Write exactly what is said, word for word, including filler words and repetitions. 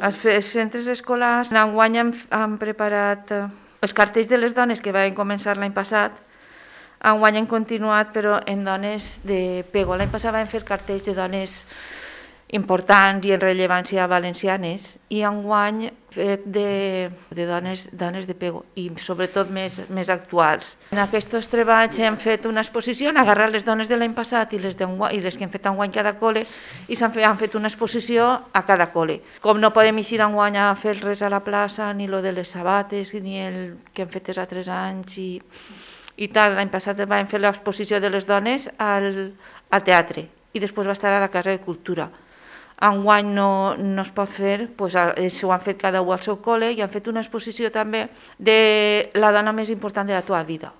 Els fe- centres escolars enguany han, han preparat eh, els cartells de les dones que van començar l'any passat. Enguany han continuat, però en dones de pego. L'any passat vam fer cartells de dones importants i en rellevància valencianes, i enguany fet de, de dones, dones de pego, i sobretot més, més actuals. En aquests treballs hem fet una exposició, han agarrat les dones de l'any passat i les, i les que hem fet enguany cada col·le, i s'han fet, han fet una exposició a cada col·le. Com no podem eixir enguany a fer res a la plaça, ni lo de les sabates, ni el que hem fet els altres anys, i, i tal, l'any passat vam fer l'exposició de les dones al, al teatre, i després va estar a la Casa de Cultura. Enguany no, no es pot fer, doncs això ho han fet cada un al seu col·le, i han fet una exposició també de la dona més important de la teva vida.